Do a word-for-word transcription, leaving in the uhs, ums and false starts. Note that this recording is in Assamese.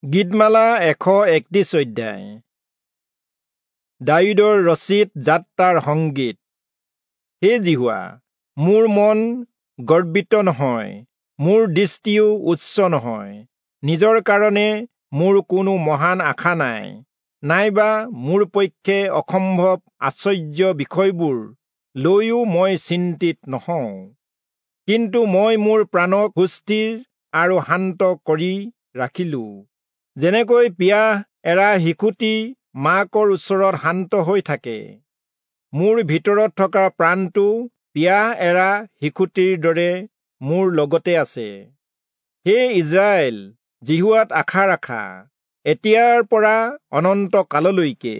গীতমালা এশ একত্ৰিশ অধ্যায়। দায়ূদৰ ৰচিত যাত্ৰাৰ সংগীত। হে যিহোৱা, মোৰ মন গৰ্বিত নহয়, মোৰ দৃষ্টিও উচ্চ নহয়। নিজৰ কাৰণে মোৰ কোনো মহান আশা নাই, নাইবা মোৰ পক্ষে অসম্ভৱ আশ্চৰ্য বিষয়বোৰ লৈও মই চিন্তিত নহওঁ। কিন্তু মই মোৰ প্ৰাণক সুস্থিৰ আৰু শান্ত কৰি ৰাখিলো, যেনেকৈ পিয়াহ এৰা শিশুটি মাকৰ ওচৰত শান্ত হৈ থাকে। মোৰ ভিতৰত থকা প্ৰাণটো পিয়াহ এৰা শিশুটিৰ দৰে মোৰ লগতে আছে। হে ইস্ৰায়েল, যিহোৱাত আশা ৰাখা, এতিয়াৰ পৰা অনন্ত কাললৈকে।